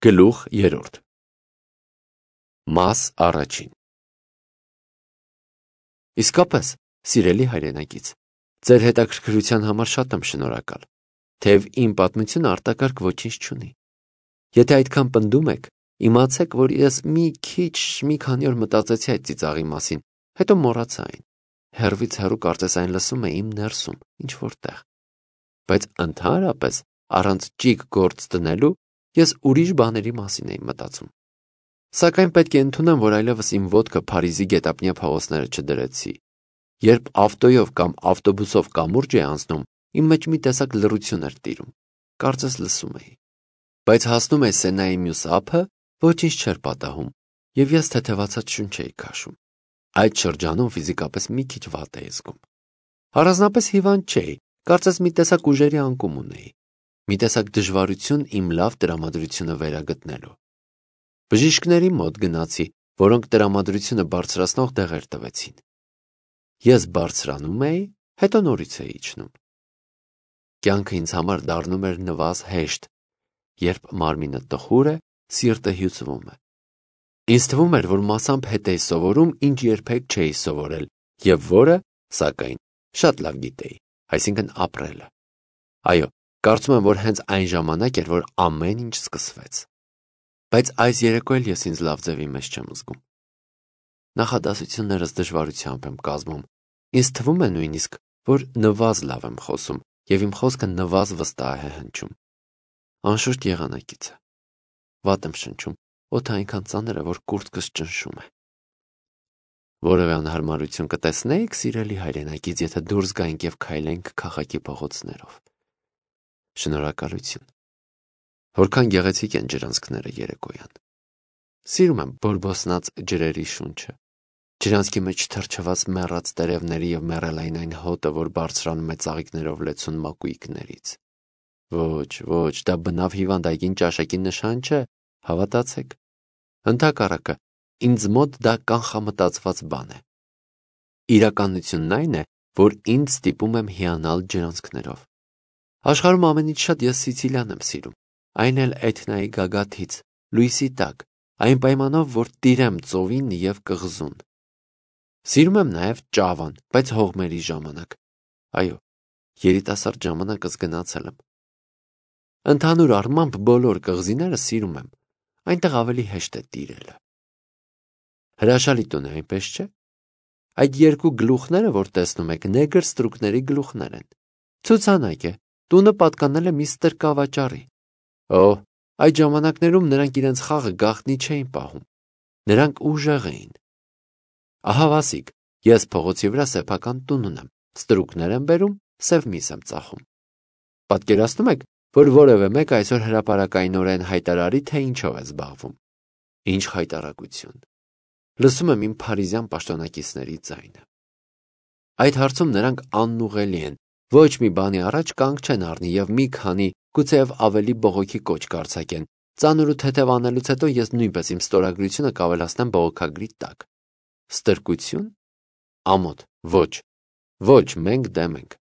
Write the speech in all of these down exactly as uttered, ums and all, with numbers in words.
Գլուխ երրորդ Մաս առաջին Իսկապես, սիրելի հայրենակից, ձեր հետաքրքրության համար շատ եմ շնորհակալ, թեև իմ պատմությունը արտակարգ ոչինչ չունի։ Եթե այդքան պնդում եք, իմացեք, որ ես մի քիչ մի քանի օր մտածեցի այդ ծիծաղի մասին, հետո մոռացա այն։ Հեռվից հեռու կարծես այն լսում է իմ ներսում, ինչ-որ տեղ։ Բայց ընդհանրապես, առանց ճիգ գործ դնելու, ես ուրիշ բաների մասին էի մտածում։ Սակայն պետք է ընդունեմ, որ այլևս իմ ոտքը Փարիզի գետափնյա փողոցները չդրեցի։ Երբ ավտոյով կամ ավտոբուսով կամուրջ էի անցնում, իմ մեջ մի տեսակ լռություն էր տիրում, կարծես լսում էի։ Բայց հասնում էի Սենայի մյուս ափը, ոչինչ չէր պատահում, և ես թեթևացած շունչ էի քաշում։ Այդ շրջանում ֆիզիկապես մի քիչ վատ էի զգում։ Առանձնապես հիվանդ չէի, կարծես մի տեսակ ուժերի անկում ունեի, մի տեսակ դժվարություն իմ լավ տրամադրությունը վերագտնելու։ Բժիշկների մոտ գնացի, որոնք տրամադրությունը բարձրացնող դեղեր տվեցին։ Ես բարձրանում էի, հետո նորից էի իջնում։ Կյանքը ինձ համար դառնում էր նվազ հեշտ, երբ մարմինը տխուր է, սիրտը հյուծվում է։ Ինձ թվում էր, որ մասամբ հետ էի սովորում, ինչ երբեք չէի սովորել, և որը, սակայն, շատ լավ գիտեի, այսինքն ապրելը։ Այո, կարծում եմ, որ հենց այն ժամանակ էր, որ ամեն ինչ սկսվեց։ Բայց այս երեկո էլ ես ինձ լավ ձևի մեջ չեմ զգում։ Նախադասություններս դժվարությամբ եմ կազմում։ Ինձ թվում է նույնիսկ, որ նվազ լավ եմ խոսում, և իմ խոսքը նվազ վստահ է հնչում։ Անշուշտ եղանակից է։ Վատ եմ շնչում, օդը այնքան ծանր է, որ կուրծքս ճնշում է։ Որևէ անհարմարություն կտեսնեիք, սիրելի հայրենակից, եթե դուրս գայինք և քայլենք քաղաքի փողոցներով։ Շնորհակալություն։ Որքան գեղեցիկ են ջրանցքները երեկոյան։ Սիրում եմ բորբոսնած ջրերի շունչը, ջրանցքի մեջ թրջված մեռած տերևների և մեռելային այն հոտը, որ բարձրանում է ծաղիկներով լեցուն մակույկներից։ Ոչ, ոչ, դա բնավ հիվանդային ճաշակի նշան չէ, հավատացեք։ Ընդհակառակը, ինձ մոտ դա կանխամտածված բան է։ Իրականությունն այն է, որ ինձ ստիպում եմ հիանալ ջրանցքներով։ Աշխարհում ամենից շատ ես Սիցիլիան եմ սիրում, այն էլ Էթնայի գագաթից, լույսի տակ, այն պայմանով, որ տիրեմ ծովին և կղզուն։ Սիրում եմ նաև Ճավան, բայց հողմերի ժամանակ։ Այո, երիտասարդ ժամանակս գնացել եմ։ Ընդհանուր առմամբ բոլոր կղզիները սիրում եմ, այնտեղ ավելի հեշտ է տիրելը։ Հրաշալի տուն է, այնպես չէ՞։ Այդ երկու գլուխները, որ տեսնում եք, նեգր ստրուկների գլուխներ են։ Ցուցանակ է, տունը պատկանել է միստր Կավաճառի։ Օհ, այդ ժամանակներում նրանք իրենց խաղը գաղտնի չէին պահում։ Նրանք ուժեղ էին։ Ահա վասիկ, ես փողոցի վրա սեփական տուն ունեմ, ստրուկներ եմ բերում, սև միս եմ ծախում։ Պատկերացնում եք, որ որևէ մեկ այսօր հրապարակայնորեն հայտարարի, թե ինչով է զբաղվում։ Ինչ խայտառակություն։ Լսում եմ իմ փարիզյան պաշտոնակիցների ձայնը։ Այդ հարցում նրանք անուղղելի են, ոչ մի բանի առաջ կանգ չեն առնի և մի քանի, գուցեև ավելի բողոքի կոչ կարձակեն։ Ծանր ու թեթև անելուց հետո ես նույնպես իմ ստորագրությունը կավելացնեմ բողոքագրի տակ։ Ստրկություն։ Ամոթ, ոչ, ոչ, մենք դեմ ենք։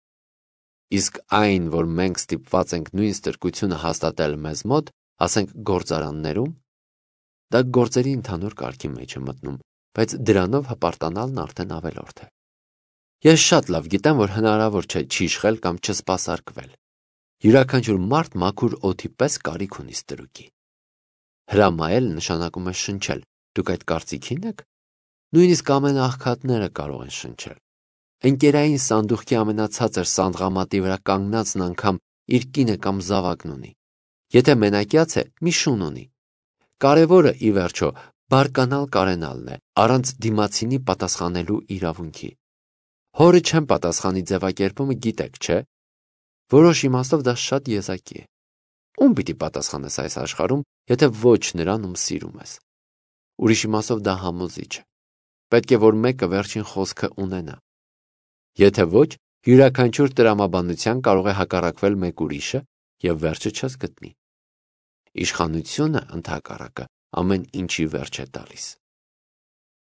Իսկ այն, որ մենք ստիպված ենք նույն ստրկությունը հաստատել մեզ մոտ, ասենք գործարաններում, դա գործերի ընդհանուր կարգի մեջ է մտնում, բայց դրանով հպարտանալն արդեն ավելորդ է։ Ես շատ լավ գիտեմ, որ հնարավոր չէ չիշխել կամ չսպասարկվել։ Յուրաքանչյուր մարդ մաքուր օդի պես կարիք ունի ստրուկի։ Հրամայել նշանակում է շնչել։ Դուք այդ կարծիքին եք։ Նույնիսկ ամենաաղքատները կարող են շնչել։ Ընկերային սանդուղքի ամենացածր սանդղամատի վրա կանգնածն անգամ իր կինը կամ զավակն ունի։ Եթե մենակյաց է, մի շուն ունի։ Կարևորը, ի վերջո, բարկանալ կարենալն է, առանց դիմացինի պատասխանելու իրավունքի։ Հորը չեմ պատասխանի ձևակերպումը գիտեք, չէ՞։ Որոշ իմաստով դա շատ եզակի է։ Ում պիտի պատասխանես այս աշխարհում, եթե ոչ նրան, ում սիրում ես։ Ուրիշ իմաստով դա համոզիչ է։ Պետք է, որ մեկը վերջին խոսքը ունենա։ Եթե ոչ, յուրաքանչյուր տրամաբանության կարող է հակառակվել մեկ ուրիշը և վերջը չես գտնի։ Իշխանությունը, ընդհակառակը, ամեն ինչի վերջ է տալիս։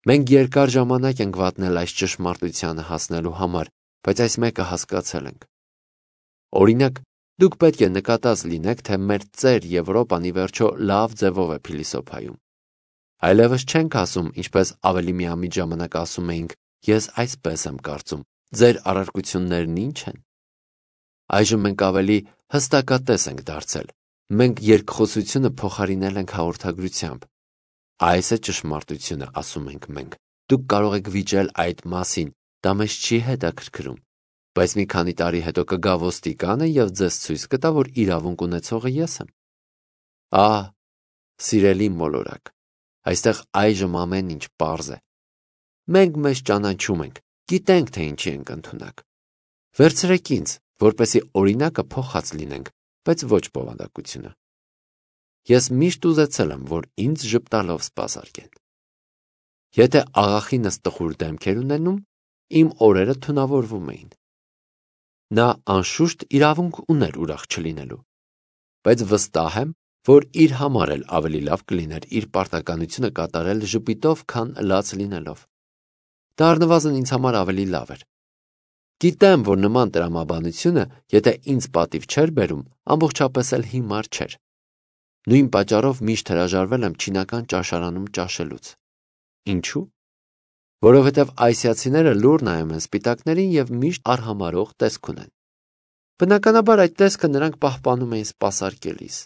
Մենք երկար ժամանակ ենք վատնել այս ճշմարտությանը հասնելու համար, բայց այս մեկը հասկացել ենք։ Օրինակ, Դուք պետք է նկատած լինեք, թե մեր ծեր Եվրոպան ի վերջո լավ ձևով է փիլիսոփայում։ Այլևս չենք ասում, ինչպես ավելի միամիտ ժամանակ ասում էինք, ես այսպես եմ կարծում, ձեր առարկություններն ինչ են։ Այժմ մենք ավելի հստակատես ենք դարձել, մենք երկխոսությունը փոխարինել ենք հաղորդագրությամբ։ Այս է ճշմարտությունը, ասում ենք մենք, դուք կարող եք վիճել այդ մասին, դա մեզ չի հետաքրքրում, բայց մի քանի տարի հետո կգա ոստիկանը և ձեզ ցույց կտա, որ իրավունք ունեցողը ես եմ։ Ահ, սիրելի մոլորակ, այստեղ այժմ ամեն ինչ պարզ է։ Մենք մեզ ճանաչում ենք, գիտենք, թե ինչի ենք ընդունակ։ Վերցրեք ինձ, որպեսզի օրինակը փոխած լինենք, բայց ոչ բովանդակությունը։ Ես միշտ ուզեցել եմ, որ ինձ ժպտալով սպասարկեն։ Եթե աղախինս տխուր դեմք էր ունենում, իմ օրերը թունավորվում էին։ Նա անշուշտ իրավունք ուներ ուրախ չլինելու, բայց վստահ եմ, որ իր համար էլ ավելի լավ կլիներ իր պարտականությունը կատարել ժպիտով, քան լաց լինելով։ Դա առնվազն ինձ համար ավելի լավ էր։ Գիտեմ, որ նման տրամաբանությունը, եթե ինձ պատիվ չէր բերում, ամբողջապես էլ հիմար չէր։ Նույն պատճառով միշտ հրաժարվել եմ չինական ճաշարանում ճաշելուց։ Ինչու՞։ Որովհետև ասիացիները լուր նայում են սպիտակներին և միշտ արհամարհող տեսք ունեն։ Բնականաբար այդ տեսքը նրանք պահպանում էին սպասարկելիս։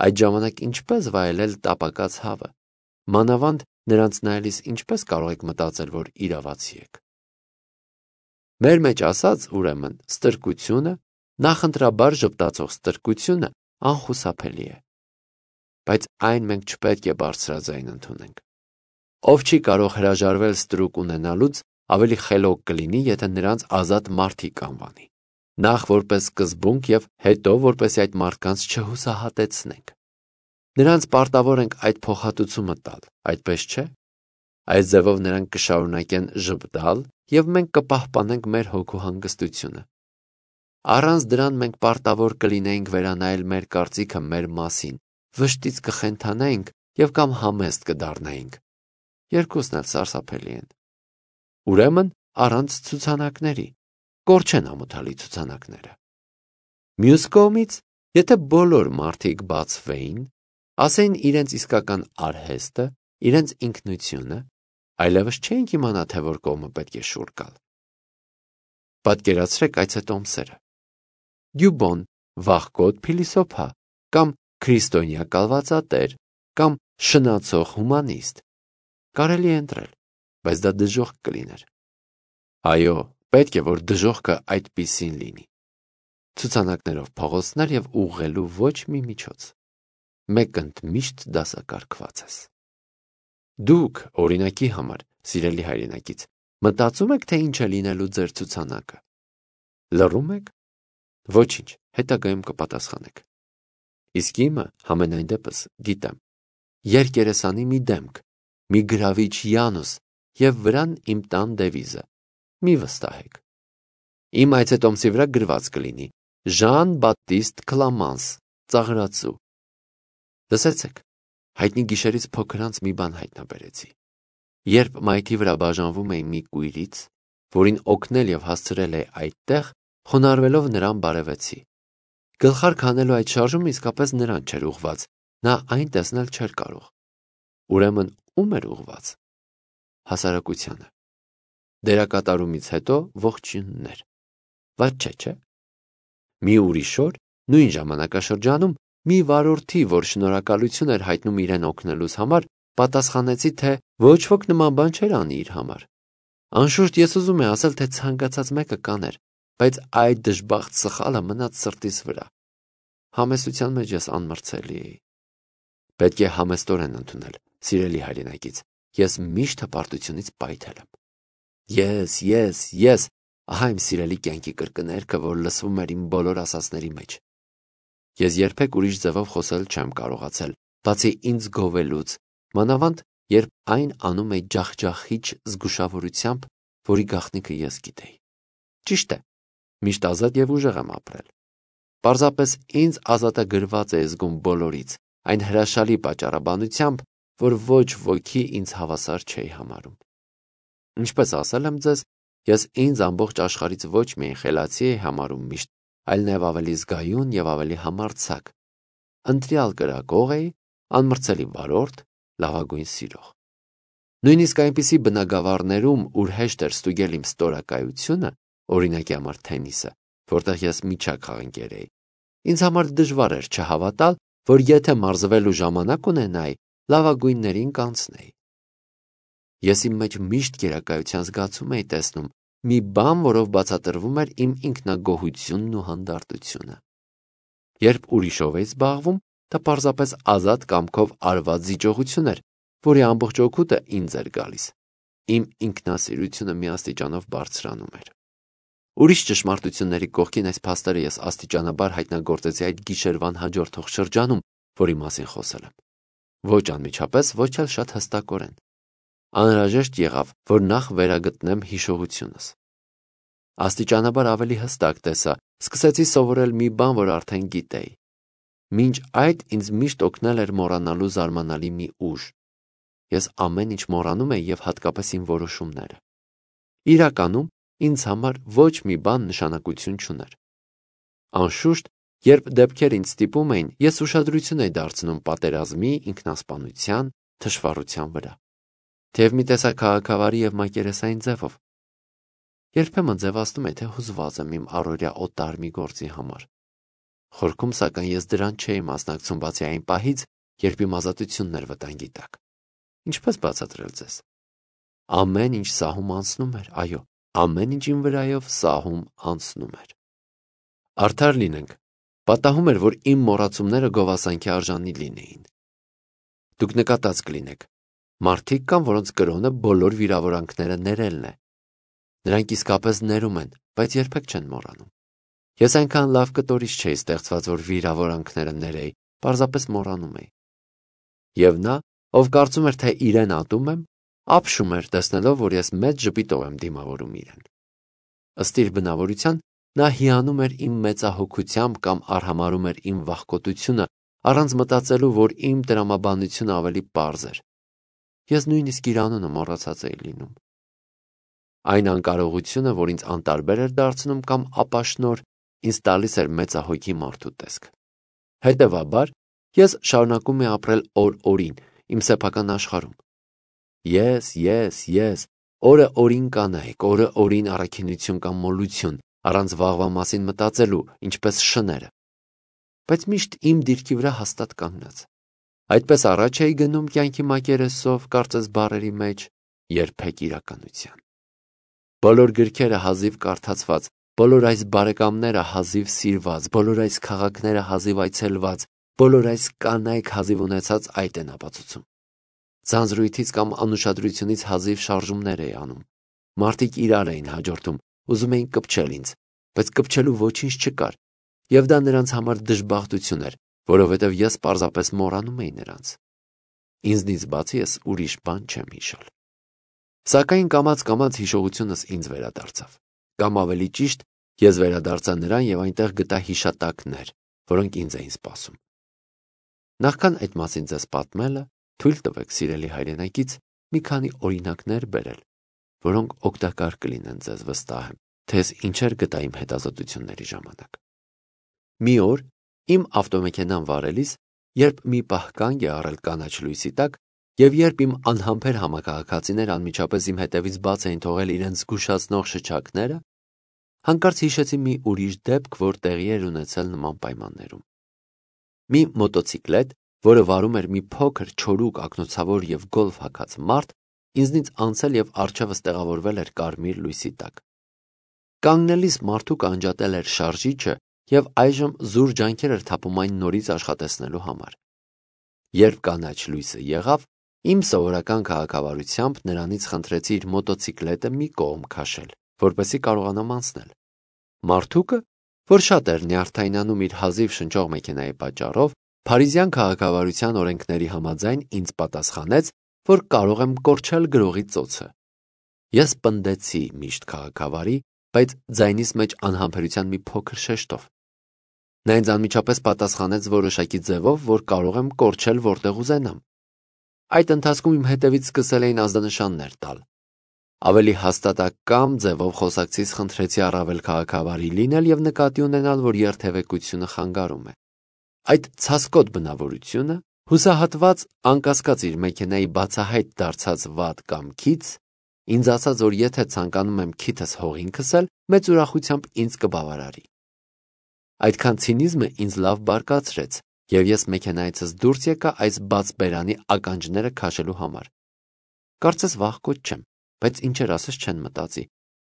Այդ ժամանակ ինչպես վայելել տապակած հավը, մանավանդ նրանց նայելիս ինչպես կարող եք մտածել, որ իրավացի եք։ Մեր մեջ ասած, ուրեմն, ստրկությունը, նախընտրաբար ժպտացող ստրկությունը անխուսափելի է։ Բայց այն մենք չպետք է բարձրաձայն ընդունենք։ Ով չի կարող հրաժարվել ստրուկ ունենալուց, ավելի խելոք կլինի, եթե նրանց ազատ մարդիկ անվանի։ Նախ որպես սկզբունք և հետո որպեսզի այդ մարդկանց չհուսահատեցնենք։ Նրանց պարտավոր ենք այդ փոխհատուցումը տալ, այդպես չէ։ Այս ձևով նրանք կշարունակեն ժպտալ, և մենք կպահպանենք մեր հոգու հանգստությունը։ Առանց դրան մենք պարտավոր կլինեինք վերանայել մեր կարծիքը մեր մասին, վշտից կխենթանայինք և կամ համեստ կդառնայինք։ Երկուսն էլ սարսափելի են։ Ուրեմն առանց ցուցանակների, կորչեն ամոթալի ցուցանակները։ Մյուս կողմից, եթե բոլոր մարդիկ բացվեին, ասեին իրենց իսկական արհեստը, իրենց ինքնությունը, այլևս չէինք իմանա, թե որ կողմը պետք է շուռ գալ։ Պատկերացրեք այցետոմսերը։ Դյուբոն, վախկոտ փիլիսոփա, կամ քրիստոնյա կալվածատեր, կամ շնացող հումանիստ։ Կարելի է ընտրել, բայց դա դժոխք կլիներ։ Այո, պետք է, որ դժոխքը այդպիսին լինի։ Ցուցանակներով փողոցներ և ուղղելու ոչ մի միջոց։ Մեկընդ միշտ դասակարգված ես։ Դուք, օրինակի համար, սիրելի հայրենակից, մտածում եք, թե ինչ է լինելու ձեր ցուցանակը։ Լռում եք։ Ոչինչ, հետագայում կպատասխանեք։ Իսկ իմը, համենայն դեպս, գիտեմ։ Երկերեսանի մի դեմք, մի գրավիչ Յանուս և վրան իմ տան դևիզը։ Մի վստահեք։ Իմ այցետոմսի վրա գրված կլինի Ժան Բատիստ Կլամանս, ծաղրածու։ Լսեցեք, հայտնի գիշերից փոքր անց մի բան հայտնաբերեցի։ Երբ մայթի վրա բաժանվում էի մի կույրից, որին օգնել և հասցրել է այդտեղ, խոնարհվելով նրան բարևեցի։ Գլխարկ հանելու այդ շարժումը իսկապես նրան չէր ուղղված, նա այն տեսնել չէր կարող։ Ուրեմն ո՞ւմ էր ուղղված։ Հասարակությանը։ Դերակատարումից հետո ողջույններ։ Վատ չէ, չէ՞։ Մի ուրիշ օր, նույն ժամանակաշրջանում, մի վարորդի, որ շնորհակալություն էր հայտնում իրեն օգնելուց համար, պատասխանեցի, թե ոչ ոք նման բան չէր անի իր համար։ Անշուշտ ես ուզում եմ ասել, թե ցանկացած մեկը կաներ, բայց այդ դժբախտ սխալը մնաց սրտիս վրա։ Համեստության մեջ ես անմրցելի էի։ Պետք է համեստորեն ընդունել, սիրելի հայրենակից, ես միշտ հպարտությունից պայթել եմ։ Ես, ես, ես, ահա իմ սիրելի կյանքի կրկներգը, որ լսվում էր իմ բոլոր ասածների մեջ։ Ես երբեք ուրիշ ձևով խոսել չեմ կարողացել, բացի ինձ գովելուց, մանավանդ, երբ այն անում էի ջախջախիչ զգուշավորությամբ, որի գաղտնիքը ես գիտեի։ Ճիշտ է, միշտ ազատ և ուժեղ եմ ապրել։ Պարզապես ինձ ազատագրված է զգում բոլորից, այն հրաշալի պատճառաբանությամբ, որ ոչ ոքի ինձ հավասար չէի համարում։ Ինչպես ասել եմ ձեզ, ես ինձ ամբողջ աշխարհից ոչ միայն խելացի էի համարում միշտ, այլ նաև ավելի զգայուն եւ ավելի համարձակ։ Ընտրյալ կրակող էի, անմրցելի վարորդ, լավագույն սիրող։ Նույնիսկ այնպիսի բնագավառներում, ուր հեշտ էր ստուգել իմ ստորակայությունը, օրինակի համար թենիսը, որտեղ ես միջակաղընկեր էի, ինձ համար դժվար էր չհավատալ, որ եթե մարզվելու ժամանակ ունենայի, լավագույններին կանցնեի։ Ես իմ մեջ միշտ գերակայության զգացում էի տեսնում, մի բան, որով բացատրվում էր իմ ինքնագոհությունն ու հանդարտությունը։ Երբ ուրիշով էի զբաղվում, դա պարզապես ազատ կամքով արված զիջողություն էր, որի ամբողջ օգուտը ինձ էր գալիս։ Իմ ինքնասիրությունը մի աստիճանով բարձրանում էր։ Ուրիշ ճշմարտությունների կողքին այս փաստերը ես աստիճանաբար հայտնագործեցի այդ գիշերվան հաջորդող շրջանում, որի մասին խոսել եմ։ Ոչ անմիջապես, ոչ էլ շատ հստակորեն։ Անհրաժեշտ եղավ, որ նախ վերագտնեմ հիշողությունս։ Աստիճանաբար ավելի հստակ տեսա, սկսեցի սովորել մի բան, որ արդեն գիտեի։ Մինչ այդ ինձ միշտ օգնել էր մոռանալու զարմանալի մի ուժ։ Ես ամեն ինչ մոռանում էի եւ հատկապես իմ որոշումները։ Իրականում ինձ համար ոչ մի բան նշանակություն չուներ։ Անշուշտ, երբ դեպքեր ինձ ստիպում էին, ես ուշադրություն էի դարձնում պատերազմի, ինքնասպանության, թշվառության վրա։ Թեև մի տեսակ քաղաքավարի եւ մակերեսային ձևով։ Երբեմն ձևացնում էի, թե հուզված եմ իմ առօրյա օտար մի գործի համար։ Խորքում, սակայն ես դրան չէի մասնակցում, բացի այն պահից, երբ իմ ազատությունն էր վտանգի տակ։ Ինչպես բացատրել ձեզ։ Ամեն ինչ սահում անցնում էր, այո, ամեն ինչ իմ վրայով սահում անցնում էր։ Արդար լինենք, պատահում էր, որ իմ մոռացումները գովասանքի արժանի լինեին։ Դուք նկատած կլինեք, մարդիկ կան, որոնց կրոնը բոլոր վիրավորանքները ներելն է։ Նրանք իսկապես ներում են, բայց երբեք չեն մոռանում։ Ես այնքան լավ կտորից չէի ստեղծված, որ վիրավորանքները ներեի, պարզապես մոռանում էի։ Եվ նա, ով կարծում էր, թե իրեն ատում եմ, ապշում էր, տեսնելով, որ ես մեծ ժպիտով եմ դիմավորում իրեն։ Ըստ իր բնավորության, նա հիանում էր իմ մեծահոգությամբ կամ արհամարհում էր իմ վախկոտությունը, առանց մտածելու, որ իմ տրամաբանությունը ավելի պարզ էր։ Ես նույնիսկ իր անունը մոռացած էի լինում։ Այն անկարողությունը, որ ինձ անտարբեր էր դարձնում կամ ապաշնոր, ինձ տալիս էր մեծահոգի մարդու տեսք։ Հետևաբար, ես շարունակում էի ապրել օր-օրին իմ սեփական աշխարհում։ Ես, ես, ես, օրը օրին կանայք, օրը օրին առաքինություն կամ մոլություն, առանց վաղվա մասին մտածելու, ինչպես շները։ Բայց միշտ իմ դիրքի վրա հաստատ կանգնած։ Այդպես առաջ էի գնում կյանքի մակերեսով, կարծես բառերի մեջ, երբեք իրականության։ Բոլոր գրքերը հազիվ կարդացված, բոլոր այս բարեկամները հազիվ սիրված, բոլոր այս քաղաքները հազիվ այցելված, բոլոր այս կանայք հազիվ ունեցած այդ են ապացուցում։ Ձանձրույթից կամ անուշադրությունից հազիվ շարժումներ էի անում։ Մարդիկ իրար էին հաջորդում, ուզում էին կպչել ինձ, բայց կպչելու ոչինչ չկար, եւ դա նրանց համար դժբախտություն էր, որովհետեւ ես պարզապես մոռանում էի նրանց։ Ինձնից բացի ես ուրիշ բան չեմ հիշել։ Սակայն կամաց-կամաց հիշողությունս ինձ վերադարձավ։ Կամ ավելի ճիշտ, ես վերադարձա նրան եւ այնտեղ գտա հիշատակներ, որոնք ինձ էին սպասում։ Նախքան այդ մասին ձեզ պատմելը, թույլ տվեք, սիրելի հայրենակից, մի քանի օրինակներ բերել, որոնք օգտակար կլինեն ձեզ, վստահ եմ, թե ես ինչեր գտա իմ հետազոտությունների ժամանակ։ Մի օր իմ ավտոմեքենան վարելիս, երբ մի պահ կանգ է առել կանաչ լույսի տակ, եւ երբ իմ անհամբեր համակարգացիները անմիջապես իմ հետևից բաց էին թողել իրենց զգուշացնող շչակները, հանկարծ հիշեցի մի ուրիշ դեպք, որ տեղի էր ունեցել նման պայմաններում։ Մի մոտոցիկլետ, որը վարում էր մի փոքր, չորուկ, ակնոցավոր եւ գոլֆ հագած մարդ, ինձնից անցել եւ առջևս տեղավորվել էր կարմիր լույսի տակ։ Կանգնելիս մարդու կանջատել էր շարժիչը եւ այժմ զուր ջանքեր էր թափում այն նորից աշխատեցնելու համար։ Երբ կանաչ լույսը եղավ, իմ սովորական քաղաքավարությամբ նրանից խնդրեցի իր մոտոցիկլետը մի կողմ քաշել, որպեսզի կարողանամ անցնել։ Մարդուկը, որ շատ էր նյարդայնանում իր հազիվ շնչող մեքենայի պատճառով, փարիզյան քաղաքավարության օրենքների համաձայն ինձ պատասխանեց, որ կարող եմ կորչել գրողի ծոցը։ Ես պնդեցի միշտ քաղաքավարի, բայց ձայնիս մեջ անհամբերության մի փոքր շեշտով։ Նա ինձ անմիջապես պատասխանեց որոշակի ձևով, որ կարող եմ կորչել որտեղ ուզենամ։ Այդ ընթացքում իմ հետևից սկսել էին ազդանշաններ տալ։ Ավելի հաստատակամ ձևով խոսակցից խնդրեցի առավել քաղաքավարի լինել և նկատի ունենալ, որ երթևեկությունը խանգարում է։ Այդ ցասկոտ բնավորությունը, հուսահատված անկասկած իր մեքենայի բացահայտ դարձած վատ կամքից, ինձ ասաց, որ եթե ցանկանում եմ քիթս հողին քսել, մեծ ուրախությամբ ինձ կբավարարի։ Այդքան ցինիզմը ինձ լավ բարկացրեց, և ես մեքենայիցս դուրս եկա այս բաց բերանի ականջները քաշելու համար։ Կարծես վախկոտ չեմ, բայց ինչեր ասես չեն մտածի։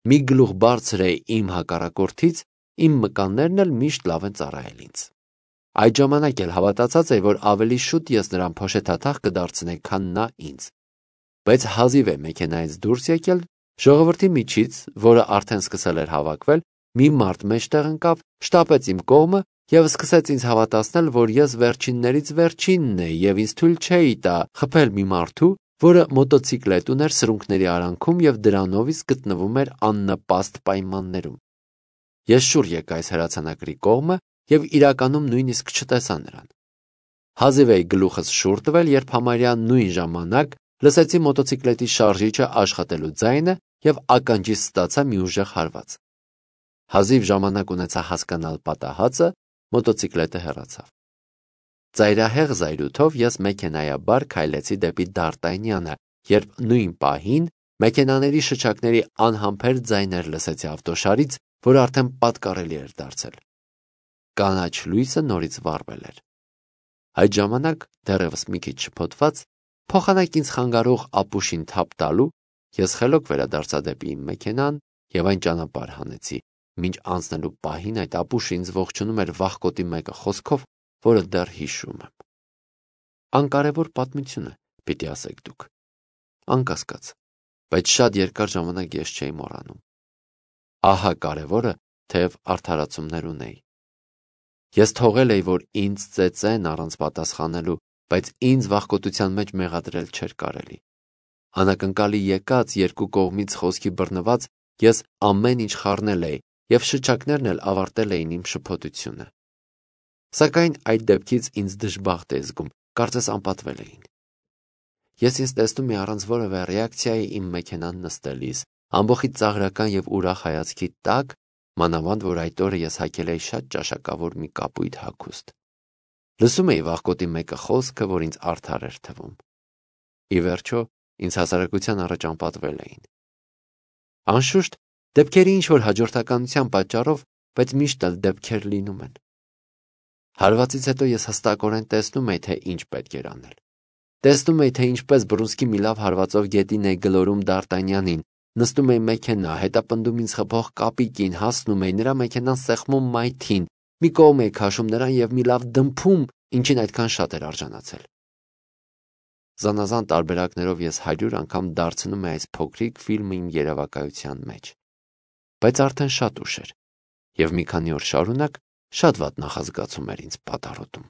Մի գլուխ բարձր է իմ հակառակորդից, իմ մկաններն էլ միշտ լավ են ծառայել ինձ։ Այդ ժամանակ էլ հավատացած էի, որ ավելի շուտ ես նրան փոշեթաթախ կդարձնեի, քան նա ինձ։ Բայց հազիվ է մեքենայից դուրս եկել, ժողովրդի միջից, որը արդեն սկսել էր հավաքվել, մի մարդ մեջտեղ ընկավ, շտապեց իմ կողմը և սկսեց ինձ հավատացնել, որ ես վերջիններից վերջինն էի և ինձ թույլ չէի տա խփել մի մարդու, որը մոտոցիկլետ ուներ սրունքների արանքում և դրանով իսկ գտնվում էր աննպաստ պայմաններում։ Ես շուռ եկա այս հրացանակրի կողմը և իրականում նույնիսկ չտեսա նրան։ Հազիվ էի գլուխս շուռ տվել, երբ համարյա նույն ժամանակ լսեցի մոտոցիկլետի շարժիչը աշխատելու ձայնը և ականջիս ստացա մի ուժեղ հարված։ Հազիվ ժամանակ ունեցա հասկանալ պատահածը, մոտոցիկլետը հեռացավ։ Ծայրահեղ զայրույթով ես մեքենայաբար քայլեցի դեպի Դ'Արտանյանը, երբ նույն պահին մեքենաների շչակների անհամբեր ձայներ լսեցի ավտոշարից, որ արդեն պատկառելի էր դարձել։ Կանաչ լույսը նորից վառվել էր։ Այդ ժամանակ, դեռևս մի քիչ շփոթված, փոխանակ ինձ խանգարող ապուշին թափ տալու, ես խելոք վերադարձա դեպի իմ մեքենան և այն ճանապարհ հանեցի, մինչ անցնելու պահին այդ ապուշը ինձ ողջունում էր վախկոտի մեկը խոսքով, որը դեռ հիշում եմ։ Անկարևոր պատմություն է, պիտի ասեք դուք։ Անկասկած, բայց շատ երկար ժամանակ ես չէի մոռանում։ Ահա կարևորը, թեև արդարացումներ ունեի։ Ես թողել էի, որ ինձ ծեծեն առանց պատասխանելու, բայց ինձ վախկոտության մեջ մեղադրել չէր կարելի։ Անակնկալի եկած երկու կողմից խոսքի բռնված ես ամեն ինչ խառնել էի, և շչակներն էլ ավարտել էին իմ շփոթությունը։ Սակայն այդ դեպքից ինձ դժբախտ էի զգում, կարծես անպատվել էին։ Ես ինձ տեսնում էի առանց որևէ ռեակցիայի իմ մեքենան նստելիս, ամբողջի ծաղրական և ուրախ հայացքի տակ, մանավանդ որ այդ օրը ես հագել էի շատ ճաշակավոր մի կապույտ հագուստ։ Լսում էի վախկոտի մեկը խոսքը, որ ինձ արդար էր թվում։ Ի վերջո, ինձ հասարակության առաջ անպատվել էին։ Անշուշտ, դեպքերի ինչ-որ հաջորդականության պատճառով, բայց միշտ էլ դեպքեր լինում են։ Հարվածից հետո ես հստակորեն տեսնում էի, թե ինչ պետք էր անել։ Տեսնում էի, թե ինչպես բռունցքի մի լավ հարվածով գետին էի գլորում Դ'Արտանյանին, նստում էի մեքենա, հետապնդում ինձ խփող կապիկին, հասնում էի նրա մեքենան սեղմում մայթին, մի կողմ էի քաշում նրան և մի լավ դմփում, ինչին այդքան շատ էր արժանացել։ Զանազան տարբերակներով ես հարյուր անգամ դարձնում էի այս փոքրիկ ֆիլմը իմ երևակայության մեջ։ Բայց արդեն շատ ուշ էր, և մի քանի օր շարունակ շատ վատ նախազգացում էր ինձ պատառոտում։